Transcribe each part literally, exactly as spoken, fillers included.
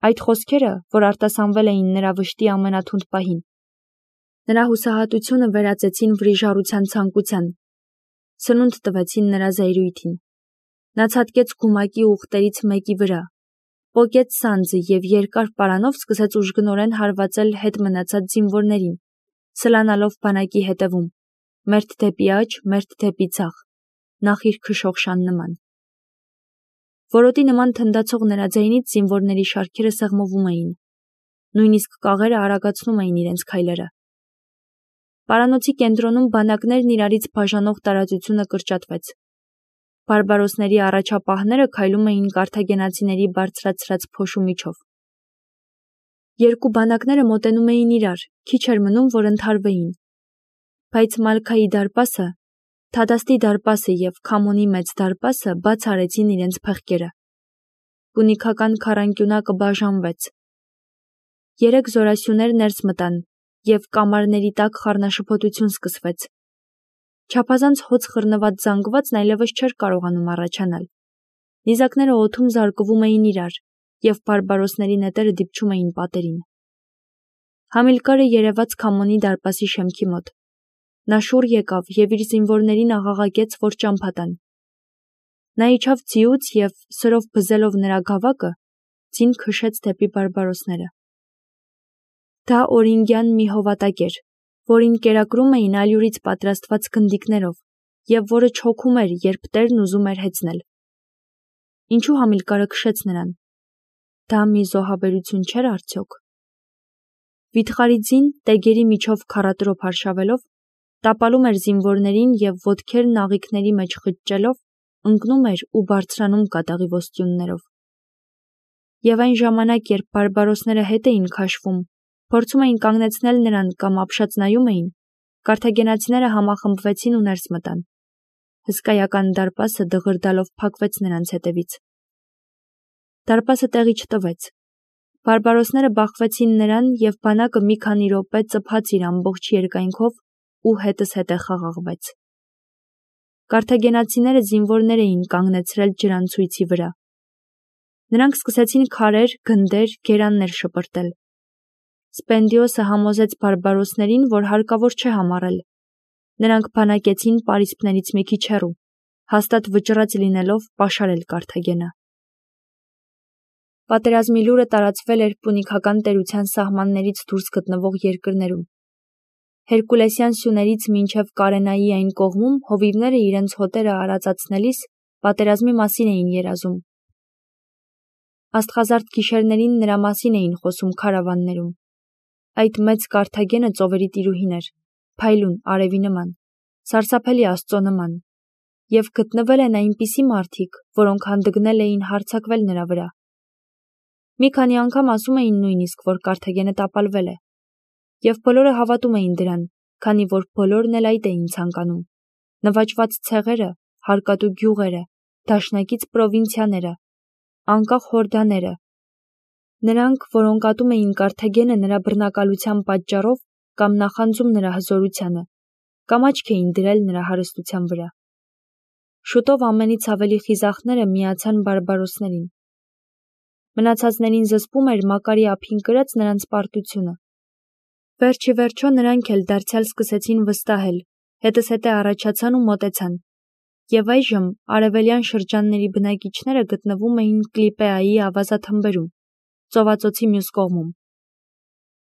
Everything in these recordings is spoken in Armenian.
Այդ խոսքերը, որ արտասանվել էին նրա վշտի ամենաթունդ պահին, նրա հուսահատությունը վերածեցին վրիժառության ցանկության, սնունդ տվեցին նրա զայրույթին։ Նա ցատկեց գումակի ուղտերից մեկի վրա, պոկեց սանձը և երկար պարանով սկսեց ուժգնորեն հարվածել հետ մնացած զինվորներին, սլանալով բանակի հետևում, մերթ դեպի աջ, մերթ դեպի ձախ, նախիր քշող շան նման։ Որոտի նման թնդացող նրա ձայնից զինվորների շարքերը սեղմվում էին, նույնիսկ կաղերը արագացնում էին իրենց քայլերը։ Պարանոցի կենտրոնում բանակներն իրարից բաժանող տարածությունը կրճատվեց։ Բարբարոսների առաջապահները քայլում էին կարթագենացիների բարձրացրած փոշու միջով։ Երկու բանակները մոտենում էին իրար, քիչ էր մնում, որ ընդհարվեին։ Բայց Մալքայի դարպասը, Թադաստի դարպասը և Քամոնի մեծ դարպասը բաց արեցին իրենց փեղկերը։ Պունիկական քառանկյունակը բաժանվեց։ Երեք զորասյուներ ներս մտան, և կամարների տակ խառնաշփոթություն սկսվեց։ Չափազանց հոծ խռնված զանգվածն այլևս չէր կարողանում առաջանալ։ Նիզակները օդում զարկվում էին իրար, և բարբարոսների նետերը դիպչում էին պատերին։ Համիլկարը երևաց Քամոնի դարպասի շեմքի մոտ։ Նա շուռ եկավ և իր զինվորներին աղաղակեց, որ ճամփա տան։ Նա իջավ ձիուց և, սրով բզելով նրա գավակը, ձին քշեց դեպի բարբարոսները։ Դա օրինգյան մի հովատակ էր, որին կերակրում էին ալյուրից պատրաստված գնդիկներով, և որը չոքում էր, երբ տերն ուզում էր հեծնել։ Ինչու Համիլկարը քշեց նրան։ Դա մի զոհաբերություն չէր արդյոք։ Վիթխարի ձին, տեգերի միջով քառատրոփ արշավելով, տապալում էր զինվորներին և ոտքերն աղիքների մեջ խճճելով, ընկնում էր ու բարձրանում կատաղի ոստյուններով։ Եվ այն ժամանակ, երբ բարբարոսները հետ էին քաշվում, փորձում էին կանգնեցնել նրան կամ ապշած նայում էին, կարթագենացիները համախմբվեցին ու ներս մտան։ Հսկայական դարպասը դղրդալով փակվեց նրանց հետևից։ Դարպասը տեղի չտվեց։ Բարբարոսները բախվեցին նրան, և բանակը մի քանի րոպե ծփաց իր ամբողջ երկայնքով ու հետս հետե խաղաղվեց։ Կարթագենացիները զինվորներ էին կանգնեցրել ջրանցույցի վրա։ Նրանք սկսեցին քարեր, գնդեր, գերաններ շպրտել։ Սպենդիոսը համոզեց բարբարոսներին, որ հարկավոր չէ համառել։ Նրանք բանակեցին պարիսպներից մի քիչ հեռու, հաստատ վճռած լինելով պաշարել Կարթագենը։ Պատերազմի լուրը տարածվել էր պունիկական տերության սահմաններից դուրս գտնվող երկրներում։ Հերկուլեսյան սյուներից մինչև Կարենայի այն կողմում հովիվները իրենց հոտերը արածացնելիս պատերազմի մասին էին երազում։ Աստղազարդ գիշերներին նրա մասին էին խոսում քարավաններում։ Այդ մեծ Կարթագենը ծովերի տիրուհին էր, փայլուն, արևի նման, սարսափելի աստծո նման, և գտնվել են այնպիսի մարդիկ, որոնք հանդգնել էին հարձակվել նրա վրա։ Մի քանի անգամ ասում էին նույնիսկ, որ Կարթագենը տապալվել է, և բոլորը հավատում էին դրան, քանի որ բոլորն էլ այդ էին ցանկանում։ Նվաճված ցեղերը, հարկատու գյուղերը, դաշնակից պրովինցիաները, անկախ հորդաները։ Նրանք, որոնք ատում էին Կարթագենը նրա բռնակալության պատճառով կամ նախանձում նրա հզորությանը, կամ աչք էին դրել նրա հարստության վրա։ Շուտով ամենից ավելի խիզախները միացան բարբարոսներին։ Մնացածներին զսպում էր Մակարի ափին կրած նրանց պարտությունը։ Վերջ ի վերջո նրանք էլ դարձյալ սկսեցին վստահել, հետզհետե առաջացան ու մոտեցան, և այժմ արևելյան շրջանների բնակիչները գտնվում էին Կլիպեայի ավազաթմբերում, ծովածոցի մյուս կողմում։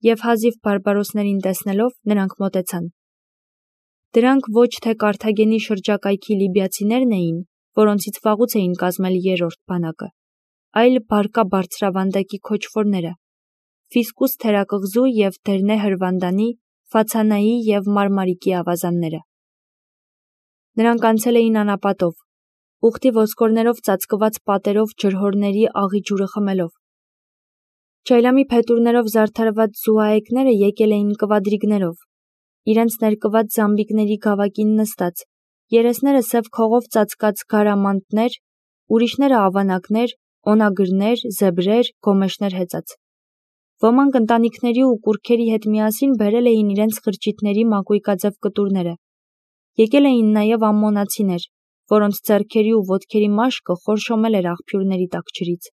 Եվ հազիվ բարբարոսներին տեսնելով նրանք մոտեցան։ Դրանք ոչ թե Կարթագենի շրջակայքի լիբիացիներն էին, որոնցից վաղուց էին կազմել երրորդ բանակը, այլ Բարկա բարձրավանդակի քոչվորները, Ֆիսկուս թերակղզու և Դերնե հրվանդանի, Ֆացանայի և Մարմարիկի ավազանները։ Նրանք անցել էին անապատով, ուխտի ոսկորներով ծածկված պատերով ջրհորների աղի ջուրը խմելով։ Ջայլամի փետուրներով զարդարված զուհայեկները եկել էին կվադրիգներով, իրենց ներկված զամբիկների գավակին նստած, երեսները սև քողով ծածկած գարամանտներ, ուրիշները ավանակներ, օնագրեր, զեբրեր, գոմեշներ հեծած։ Ոմանք ընտանիքների ու կուռքերի հետ միասին բերել էին իրենց խրճիթների մակույկաձև կտուրները։ Եկել էին նաև ամմոնացիներ, որոնց ձեռքերի ու ոտքերի մաշկը խորշոմել էր աղբյուրների տաք ջրից։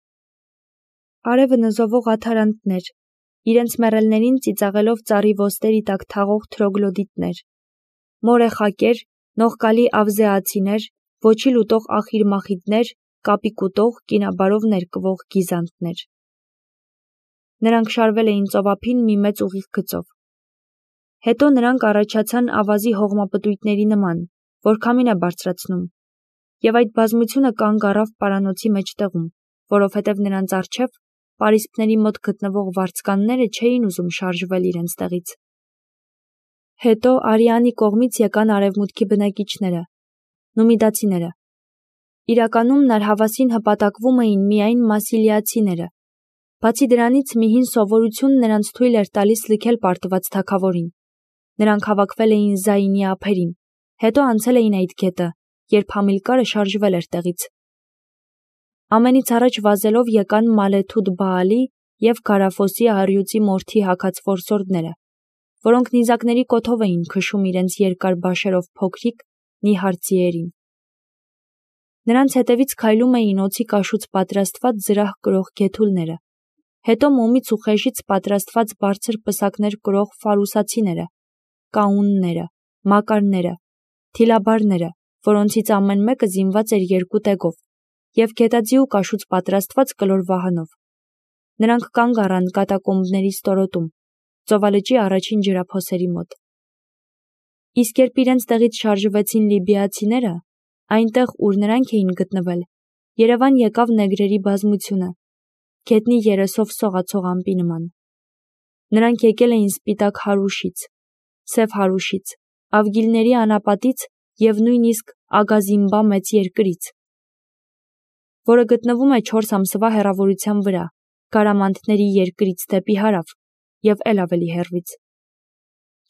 Արևը նզովող աթարանտներ, իրենց մեռելներին ծիծաղելով ծառի ոստերի տակ թաղող թրոգլոդիտներ, մորեխակեր, նողկալի ավզեացիներ, ոչի լուտող ախիրմախիդներ, կապի կուտող, կինաբարով ներկվող գիզանտներ։ Նրանք շարվել էին ծովափին մի մեծ ուղիղ գծով։ Հետո նրանք առաջացան ավազի հողմապտույտների նման, որ քամին է բարձրացնում, և այդ բազմությունը կանգ առավ պարանոցի մեջտեղում, որովհետև նրանց առջև պարիսպների մոտ գտնվող վարձկանները չէին ուզում շարժվել իրենց տեղից։ Հետո Արիանի կողմից եկան արևմուտքի բնակիչները, նումիդացիները։ Իրականում նարհավասին հպատակվում էին միայն մասիլիացիները։ Բացի դրանից մի հին սովորություն նրանց թույլ էր տալիս լքել պարտված թագավորին։ Նրանք հավաքվել էին Զայինի ափերին, հետո անցել էին այդ գետը, երբ Համիլկարը շարժվել էր տեղից։ Ամենից առաջ վազելով եկան Մալեթուդ Բաալի և Գարաֆոսի առյուծի մորթի հագած որսորդները, որոնք նիզակների կոթով էին քշում իրենց երկար բաշերով փոքրիկ, նիհար ձիերին։ Նրանց հետևից քայլում էին օձի կաշուց պատրաստված զրահ կրող գեթուլները, հետո մոմից ու խեժից պատրաստված բարձր պսակներ կրող ֆարուսացիները, կաունները, մակարները, թիլաբարները, որոնցից ամեն մեկը զինված էր երկու տեգով, և գետաձիու կաշուց պատրաստված կլոր վահանով։ Նրանք կանգ առան կատակոմբների ստորոտում, ծովալճի առաջին ջրափոսերի մոտ։ Իսկ երբ իրենց տեղից շարժվեցին լիբիացիները, այնտեղ, ուր նրանք էին գտնվել, երևան եկավ նեգրերի բազմությունը, գետնի երեսով սողացող ամպի նման։ Նրանք եկել էին սպիտակ Հարուշից, Սև Հարուշից, Ավգիլների անապատից և նույնիսկ Ագազիմբա մեծ երկրից, որը գտնվում է չորս ամսվա հեռավորության վրա, Գարամանտների երկրից դեպի հարավ և էլ ավելի հեռվից։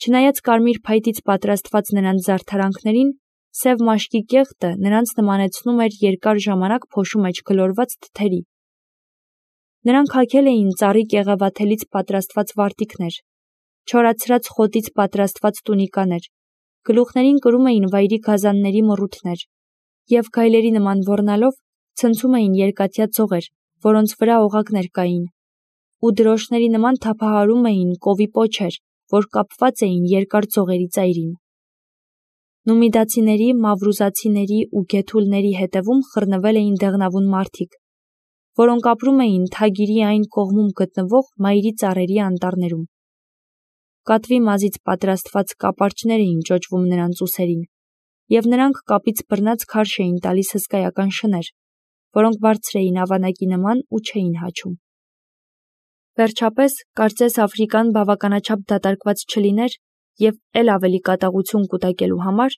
Չնայած կարմիր փայտից պատրաստված նրանց զարդարանքներին, սև մաշկի կեղտը նրանց նմանեցնում էր երկար ժամանակ փոշու մեջ գլորված թթերի։ Նրանք հագել էին ծառի կեղևաթելից պատրաստված վարտիքներ, չորացրած խոտից պատրաստված տունիկաներ, գլուխներին կրում էին վայրի գազանների մռութներ և գայլերի նման ոռնալով ցնցում էին երկաթյա ծողեր, որոնց վրա օղակներ կային, ու դրոշների նման թափահարում էին կովի պոչեր, որ կապված էին երկար ծողերի ծայրին։ Նումիդացիների, մավրուզացիների ու գեթուլների հետևում խռնվել էին դեղնավուն մարդիկ, որոնք ապրում էին Թագիրի այն կողմում գտնվող մայրի ծառերի անտառներում։ Կատվի մազից պատրաստված կապարճներ էին ճոճվում նրանց ուսերին, և նրանք կապից բռնած քարշ էին տալիս հսկայական շներ, որոնք բարձր էին ավանակի նման ու չէին հաչում։ Վերջապես, կարծես Աֆրիկան բավականաչափ դատարկված չլիներ և էլ ավելի կատաղություն կուտակելու համար,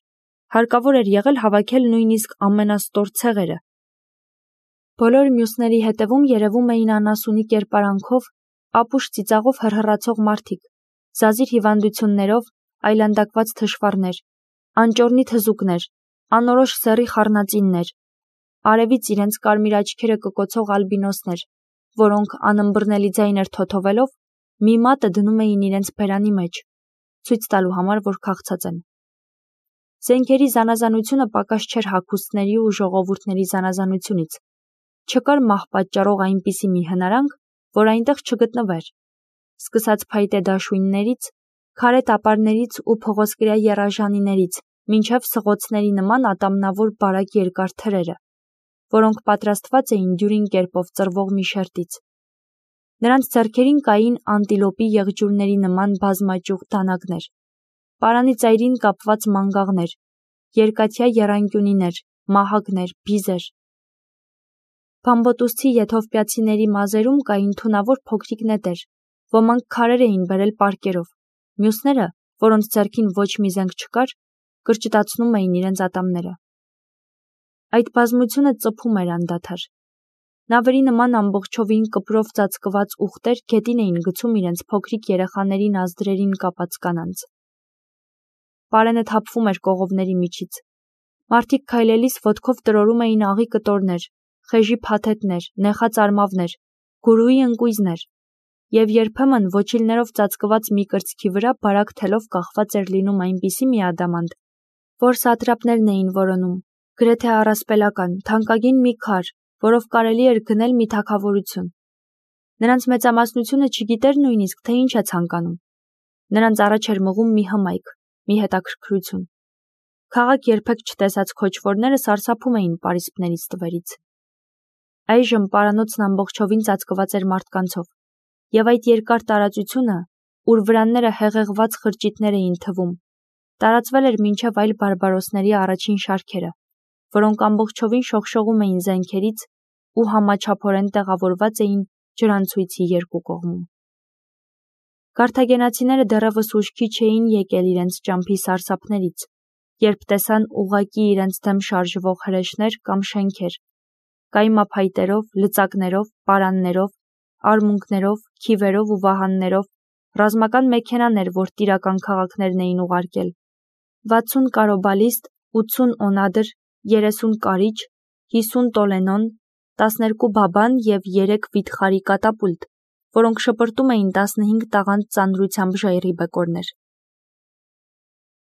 հարկավոր էր եղել հավաքել նույնիսկ ամենաստոր ցեղերը։ Բոլոր մյուսների հետևում երևում էին անասունի կերպարանքով, ապուշ ծիծաղով հռհռացող մարդիկ, զազիր հիվանդություններով, այլանդակված թշվառներ, անճոռնի թզուկներ, անորոշ սեռի խառնածիններ, արևից իրենց կարմիր աչքերը կկոցող ալբինոսներ, որոնք անըմբռնելի ձայներ թոթովելով մի մատը դնում էին իրենց բերանի մեջ, ցույց տալու համար, որ քաղցած են։ Զենքերի զանազանությունը պակաս չէր հագուստների ու ժողովուրդների զանազանությունից։ Չկար մահ պատճառող այնպիսի մի հնարանք, որ այնտեղ չգտնվեր, սկսած փայտե դաշույններից, քարե տապարներից ու փղոսկրյա եռաժանիներից, մինչև սղոցների նման ատամնավոր բարակ երկար թրերը, որոնք պատրաստված էին դյուրին կերպով ծռվող մի շերտից։ Նրանց ձեռքերին կային անտիլոպի եղջյուրների նման բազմաճյուղ դանակներ, պարանի ծայրին կապված մանգաղներ, երկաթյա եռանկյունիներ, մահակներ, բիզեր։ Բամբոտուսցի եթովպիացիների մազերում կային թունավոր փոքրիկ նետեր, ոմանք քարեր էին բերել պարկերով, մյուսները, որոնց ձեռքին ոչ մի զենք չկար, կրճտացնում էին իրենց ատամները։ Այդ բազմությունը ծփում էր անդադար։ Նավերի նման ամբողջովին կպրով ծածկված ուղտեր գետին էին գցում իրենց փոքրիկ երեխաների նազդրերին կապած կանանց։ Պարենը թափվում էր կողովների միջից։ Մարդիկ քայլելիս ոտքով տրորում էին աղի կտորներ, խեժի փաթեթներ, նեխած արմավներ, գուրուի ընկույզներ, և երբեմն ոչիլներով ծածկված մի կրծքի վրա բարակ թելով կախված էր լինում այնպիսի մի ադամանդ, որ սատրապներն էին որոնում, գրեթե առասպելական, թանկագին մի քար, որով կարելի էր գնել մի թագավորություն։ Նրանց մեծամասնությունը չգիտեր նույնիսկ, թե ինչ է ցանկանում։ Նրանց առաջ էր մղում մի հմայք, մի հետաքրքրություն։ Քաղաք երբեք չտեսած քոչվորները սարսափում էին պարիսպների ստվերից։ Այժմ պարանոցն ամբողջովին ծածկված էր մարդկանցով, եւ այդ երկար տարածությունը, ուր վրանները հեղեղված խրճիթներ էին թվում, տարածվել էր մինչև այլ բարբարոսների առաջին շարքերը, որոնք ամբողջովին շողշողում էին զենքերից ու համաչափորեն տեղավորված էին ջրանցույցի երկու կողմում։ Կարթագենացիները դեռևս ուշքի չէին եկել իրենց ճամփի սարսափներից, երբ տեսան ուղղակի իրենց դեմ շարժվող հրեշներ կամ շենքեր, կայմափայտերով, լծակներով, պարաններով, արմունկներով, քիվերով ու վահաններով, ռազմական մեքենաներ, որ տիրական քաղաքներն էին ուղարկել, վաթսուն կարոբալիստ, ութսուն օնադր, երեսուն կարիճ, հիսուն տոլենոն, տասներկու բաբան և երեք վիթխարի կատապուլտ, որոնք շպրտում էին տասնհինգ տաղանդ ծանրությամբ ժայռի բեկորներ։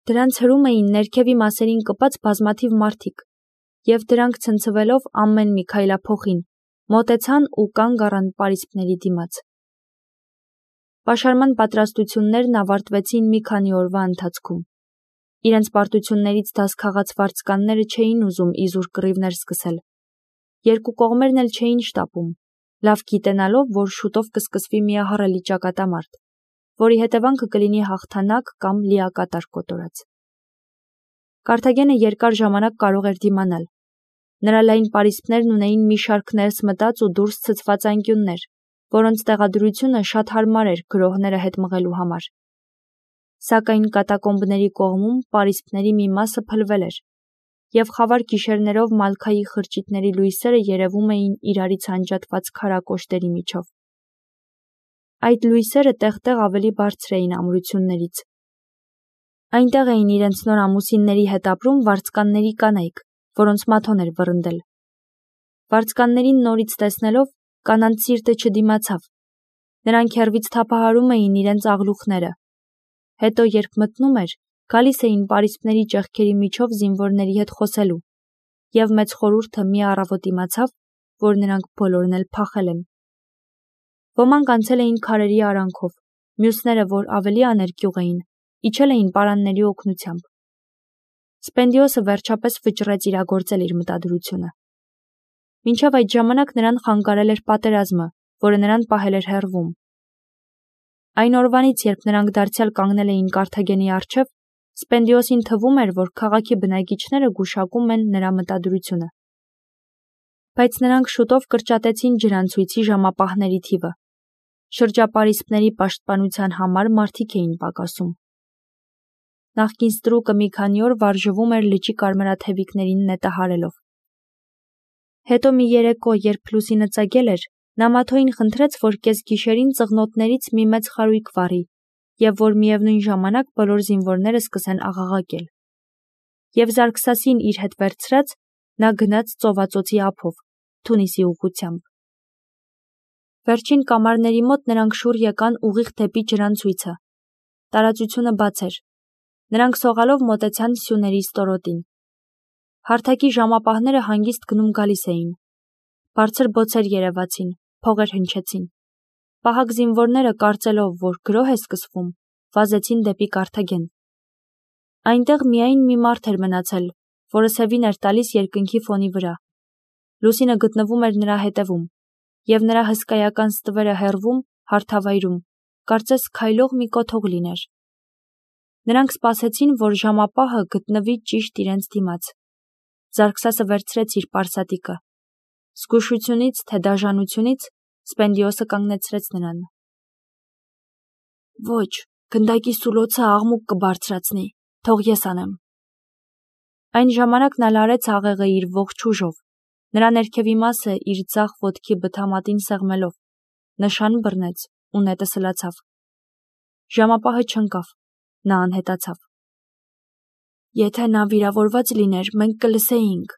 Դրանց հրում էին ներքևի մասերին կպած բազմաթիվ մարդիկ, և դրանք ցնցվելով ամեն մի քայլափոխին, մոտեցան ու կանգ առան պարիսպների դիմաց։ Պաշարման պատրաստություններն ավարտվեցին մի քանի օրվա ընթացքում։ Իրենց պարտություններից դաս քաղած վարձկանները չէին ուզում իզուր կռիվներ սկսել։ Երկու կողմերն էլ չէին շտապում, լավ գիտենալով, որ շուտով կսկսվի միահառելի ճակատամարտ, որի հետևանքը կլինի հաղթանակ կամ լիակատար կոտորած։ Կարթագենը երկար ժամանակ կարող էր դիմանալ։ Նրա լայն պարիսպներն ունեին մի շարք ներս մտած ու դուրս ցցված անկյուններ, որոնց տեղադրությունը շատ հարմար էր գրոհները հետ մղելու համար։ Սակայն կատակոմբների կողմում պարիսպների մի մասը փլվել էր, և խավար գիշերներով մալքայի խրճիթների լույսերը երևում էին իրարից անջատված քարակոշտերի միջով։ Այդ լույսերը տեղ-տեղ ավելի բարձր էին ամրություններից։ Այնտեղ էին իրենց նոր ամուսինների հետ ապրում վարձկանների կանայք, որոնց մաթոն էր վռնդել։ Վարձկաններին նորից տեսնելով, կանանց սիրտը չդիմացավ։ Նրանք հեռվից թափահարում էին իրենց աղլուխները։ Հետո, երբ մտնում էր, գալիս էին պարիսպների ճեղքերի միջով զինվորների հետ խոսելու, և մեծ խորհուրդը մի առավոտ իմացավ, որ նրանք բոլորն էլ փախել են։ Ոմանք անցել էին քարերի արանքով, մյուսները, որ ավելի աներկյուղ էին, իջել էին պարանների օգնությամբ։ Սպենդիոսը վերջապես վճռեց իրագործել իր մտադրությունը։ Մինչև այդ ժամանակ նրան խանգարել էր պատերազմը, որը նրան պահել էր հեռվում։ Այն օրվանից, երբ նրանք դարձյալ կանգնել էին Կարթագենի առջև, Սպենդիոսին թվում էր, որ քաղաքի բնակիչները գուշակում են նրա մտադրությունը։ Բայց նրանք շուտով կրճատեցին ջրանցույցի ժամապահների թիվը։ Շրջապարիսպների պաշտպանության համար մարդիկ էին պակասում։ Նախկին ստրուկը մի քանի օր վարժվում էր լճի կարմրաթևիկներին նետահարելով։ Հետո մի երեկո, երբ լուսինը ծագել էր, նա մաթոյին խնդրեց, որ կեսգիշերին ծղնոտներից մի մեծ խարույկ վառի, և որ միևնույն ժամանակ բոլոր զինվորները սկսեն աղաղակել։ Եվ Զարգսասին իր հետ վերցրած, նա գնաց ծովածոցի ափով, Թունիսի ուղղությամբ։ Վերջին կամարների մոտ նրանք շուռ եկան ուղիղ դեպի ջրանցույցը։ Տարածությունը բաց էր։ Նրանք սողալով մոտեցան սյուների ստորոտին։ Հարթակի ժամապահները հանգիստ գնում գալիս էին։ Բարձր բոցեր երևացին, փողեր հնչեցին։ Պահակ զինվորները, կարծելով, որ գրոհ է սկսվում, վազեցին դեպի Կարթագեն։ Այնտեղ միայն մի մարդ էր մնացել, որը սևին էր տալիս երկնքի ֆոնի վրա։ Լուսինը գտնվում էր նրա հետևում, և նրա հսկայական ստվերը հեռվում, հարթավայրում, կարծես քայլող մի կոթող լիներ։ Նրանք սպասեցին, որ ժամապահը գտնվի ճիշտ իրենց դիմաց։ Զարգսասը վերցրեց իր պարսատիկը։ Զգուշությունից, թե դաժանությունից, Սպենդիոսը կանգնեցրեց նրան։ Ոչ, գնդակի սուլոցը աղմուկ կբարձրացնի, թող ես անեմ։ Այն ժամանակ նա լարեց աղեղը իր ողջ ուժով, նրա ներքևի մասը իր ձախ ոտքի բթամատին սեղմելով, նշան բռնեց ու նետը սլացավ։ Ժամապահը չընկավ, նա անհետացավ։ Եթե նա վիրավորված լիներ, մենք կլսեինք,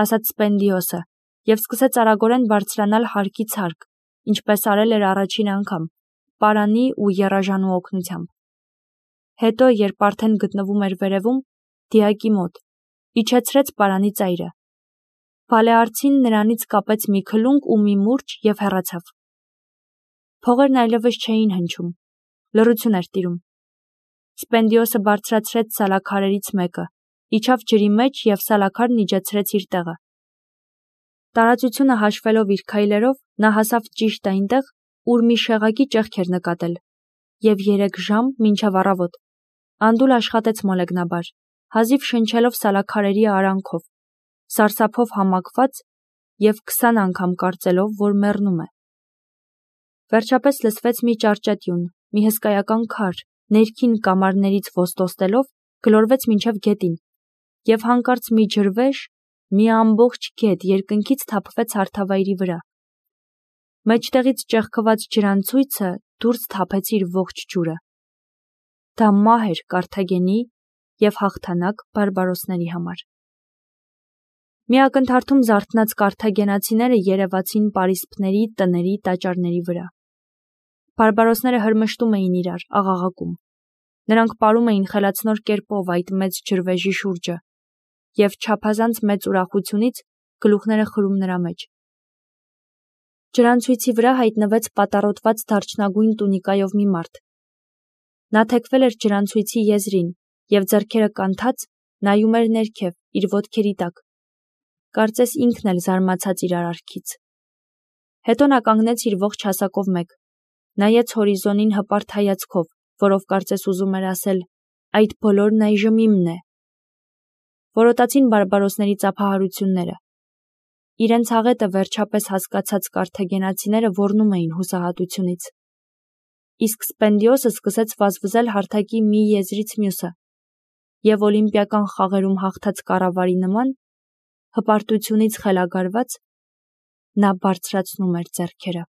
ասաց Սպենդիոսը, և սկսեց արագորեն բարձրանալ հարկից հարկ, ինչպես արել էր առաջին անգամ, պարանի ու եռաժանու օգնությամբ։ Հետո, երբ արդեն գտնվում էր վերևում, դիակի մոտ, իջեցրեց պարանի ծայրը։ Բալեարցին նրանից կապեց մի քլունկ ու մի մուրճ և հեռացավ։ Փողերն այլևս չէին հնչում, լռություն էր տիրում։ Սպենդիոսը բարձրացրեց սալաքարերից մեկը, իջավ ջրի մեջ և սալաքարն իջեցրեց իր տեղը։ Տարածությունը հաշվելով իր քայլերով, նա հասավ ճիշտ այնտեղ, ուր մի շեղակի ճեղք էր նկատել, և երեք ժամ մինչև առավոտ անդուլ աշխատեց մոլեգնաբար, հազիվ շնչելով սալաքարերի արանքով, սարսափով համակված և քսան անգամ կարծելով, որ մեռնում է։ Վերջապես լսվեց մի ճարճատյուն, մի հսկայական քար, ներքին կամարներից ոստոստելով գլորվեց մինչև գետին, և հանկարծ մի ջրվեժ, մի ամբողջ գետ երկնքից թափվեց հարթավայրի վրա։ Մեջտեղից ճեղքված ջրանցույցը դուրս թափեց իր ողջ ջուրը։ Դա մահ էր Կարթագենի և հաղթանակ բարբարոսների համար։ Մի ակնթարթում զարթնած կարթագենացիները երևացին պարիսպների, տների, տաճարների վրա։ Բարբարոսները հրմշտում էին իրար, աղաղակում։ Նրանք պարում էին խելացնոր կերպով այդ մեծ ջրվեժի շուրջը, և չափազանց մեծ ուրախությունից գլուխները խրում նրա մեջ։ Ջրանցույցի վրա հայտնվեց պատառոտված դարչնագույն տունիկայով մի մարդ։ Նա թեքվել էր ջրանցույցի եզրին և ձեռքերը կանթած նայում էր ներքև, իր ոտքերի տակ։ Կարծես ինքն էլ զարմացած իր արարքից։ Հետո նա կանգնեց իր ողջ հասակով մեկ, նայեց հորիզոնին հպարտ հայացքով, որով կարծես ուզում էր ասել. «Այդ բոլորն այժմ իմն է»։ Որոտացին բարբարոսների ծափահարությունները։ Իրենց աղետը վերջապես հասկացած կարթագենացիները ոռնում էին հուսահատությունից։ Իսկ Սպենդիոսը սկսեց վազվզել հարթակի մի եզրից մյուսը, և օլիմպիական խաղերում հաղթած կառավարի նման, հպարտությունից խելագարված, նա բարձրացնում էր ձեռքերը։